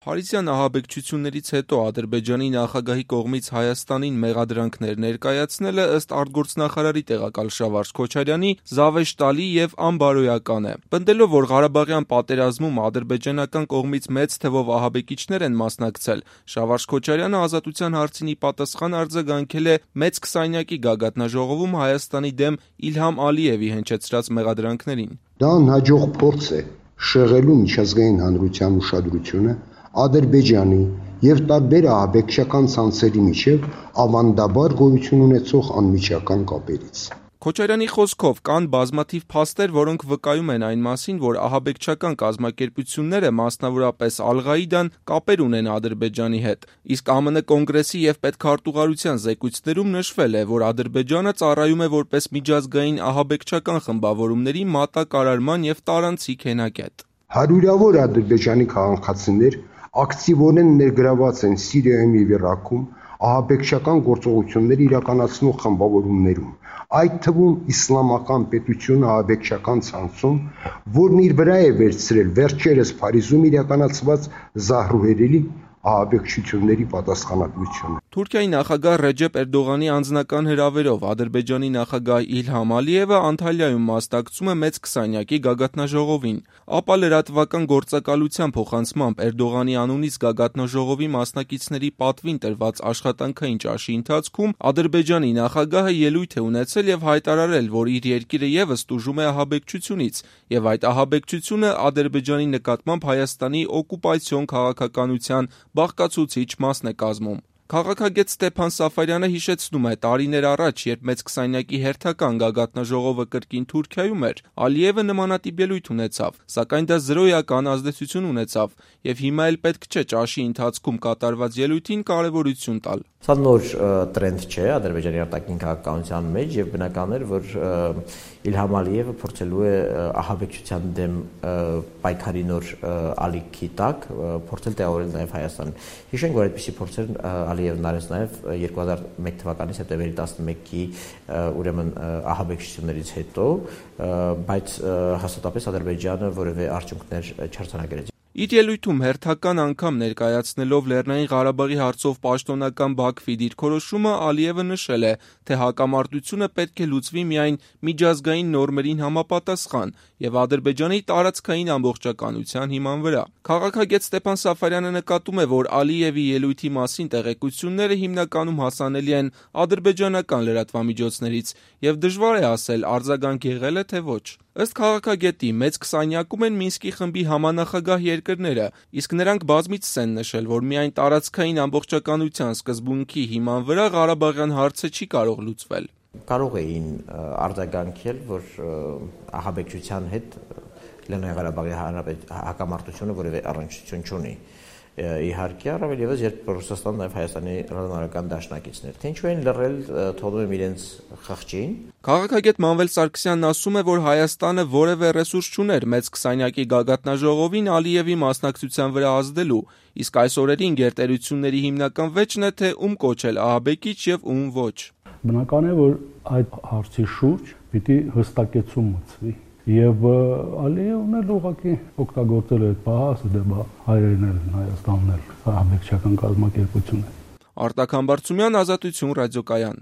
Փարիզյան ահաբեկչություններից հետո Ադրբեջանի նախագահի կողմից Հայաստանին մեղադրանքներ ներկայացնելը ըստ արտգործնախարարի տեղակալ Շավարժ Քոչարյանի զավեշտալի եւ անբարոյական է։ Պնդելով, որ Ղարաբաղյան պատերազմում ադրբեջանական կողմից մեծ թվով ահաբեկիչներ են մասնակցել, Շավարժ Քոչարյանը Ազատության հարցին ի պատասխան արձագանքել է մեծ քսանյակի գագաթնաժողովում Հայաստանի դեմ Իլհամ Ալիևի հնչեցրած մեղադրանքներին։ Դա անհաջող փորձ է շեղելու միջազգային հանրության ուշադրությունը Ադրբեջանի եւ տարբեր ահաբեկչական ցանցերի միջև ավանդաբար գոյություն ունեցող անմիջական կապերից։ Քոչարյանի խոսքով կան բազմաթիվ փաստեր, որոնք վկայում են այն մասին, որ ահաբեկչական կազմակերպությունները, մասնավորապես Ալ-Ղաիդան, կապեր ունեն Ադրբեջանի հետ։ Իսկ ԱՄՆ կոնգրեսի եւ պետքարտուղարության զեկույցներում նշվել է, որ Ադրբեջանը ծառայում է որպես միջազգային ահաբեկչական խմբավորումների մատակարարման եւ տարանցիկ հենակետ։ Հարյուրավոր ադրբեջանի քաղաքացիներ ակտիվորեն ներգրաված են Սիրիայում եւ Իրաքում ահաբեկչական գործողություններ իրականացնող խմբավորումներում, այդ թվում Իսլամական պետություն ահաբեկչական ցանցում, որն իր վրա է վերցրել վերջերս Փարիզում իրականացված զահրուհերելի ահաբեկչությունների պատասխանատվությունը։ Թուրքիայի նախագահ Ռեջեփ Էրդողանի անձնական հրավերով Ադրբեջանի նախագահ Իլհամ Ալիևը Անտալիայում մասնակցում է մեծ քսանյակի գագաթնաժողովին։ Ապա լրատվական գործակալության փոխանցմամբ Էրդողանի անունից գագաթնաժողովի մասնակիցների պատվին տրված աշխատանքային ճաշի ընթացքում Ադրբեջանի նախագահը ելույթ է ունեցել եւ հայտարարել, որ իր երկիրը եւս տուժում է ահաբեկչությունից եւ այդ ահաբեկչությունը Ադրբեջանի նկատմամբ Հայաստանի օկուպացիոն քաղաքականության բաղկացուցիչ մասն է կազմում։ Քաղաքագետ Ստեփան Սաֆարյանը հիշեցնում է, տարիներ առաջ, երբ մեծ քսանյակի հերթական գագաթնաժողովը կրկին Թուրքիայում էր, Ալիևը նմանատիպ ելույթ ունեցավ, սակայն դա զրոյական ազդեցություն ունեցավ եւ հիմա էլ պետք չէ ճաշի ընթացքում կատարված ելույթին կարեւորություն տալ։ Սա նոր տրենդ չէ Ադրբեջանի արտաքին քաղաքականության մեջ եւ բնական է, որ Իլհամ Ալիևը փորձելու է ահաբեկչության դեմ պայքարի նոր ալիքի տակ փորձել տեղավորել նաեւ Հայաստանին։ Հիշենք, որ այդպիսի փորձեր Ալիևն արեց նաեւ 2001 թվականի սեպտեմբերի 11-ի ուրեմն ահաբեկչություններից հետո, բայց հաստատապես Ադրբեջանը որևէ արդյունքներ չարձանագրեց։ Իր ելույթում հերթական անգամ ներկայացնելով Լեռնային Ղարաբաղի հարցով պաշտոնական Բաքվի դիրքորոշումը, Ալիևը նշել է, թե հակամարտությունը պետք է լուծվի միայն միջազգային նորմերին համապատասխան եւ Ադրբեջանի տարածքային ամբողջականության հիման վրա։ Քաղաքագետ Ստեփան Սաֆարյանը նկատում է, որ Ալիևի ելույթի մասին տեղեկությունները հիմնականում հասանելի են ադրբեջանական լրատվամիջոցներից եւ դժվար է ասել արձագանք եղել է թե ոչ։ Ըստ քաղաքագետի, մեծ քսանյակում են Մինսկի խմբի համանախագահ երկրները, իսկ նրանք բազմիցս են նշել, որ միայն տարածքային ամբողջականության սկզբունքի հիման վրա Ղարաբաղյան հարցը չի կարող լուծվել։ Կարող էին արձագանքել, որ ահաբեկչության հետ Լեռնային Ղարաբաղի հակամարտությունը որևէ առնչություն չունի։ Իհարկե, առավել եւս երբ Ռուսաստանն նաեւ Հայաստանի ռազմական դաշնակիցներ, թե ինչու են լռել, թողնում եմ իրենց խղճին։ Քաղաքագետ Մանվել Սարգսյանն ասում է, որ Հայաստանը որևէ ռեսուրս չուներ մեծ քսանյակի գագաթնաժողովին Ալիևի մասնակցության վրա ազդելու, իսկ այս օրերին գերտերությունների հիմնական վեճն է, թե ում կոչել ահաբեկիչ եւ ում ոչ։ Բնական է, որ այդ հարցի շուրջ պիտի հստակեցում մտցվի։ Եվ Ալիևն էլ ուղղակի օգտագործել է այդ պահը, դե հայերեն էլ Հայաստանն էլ ահաբեկչական կազմակերպություն է։ Արտակ Համբարձումյան, Ազատություն ռադիոկայան։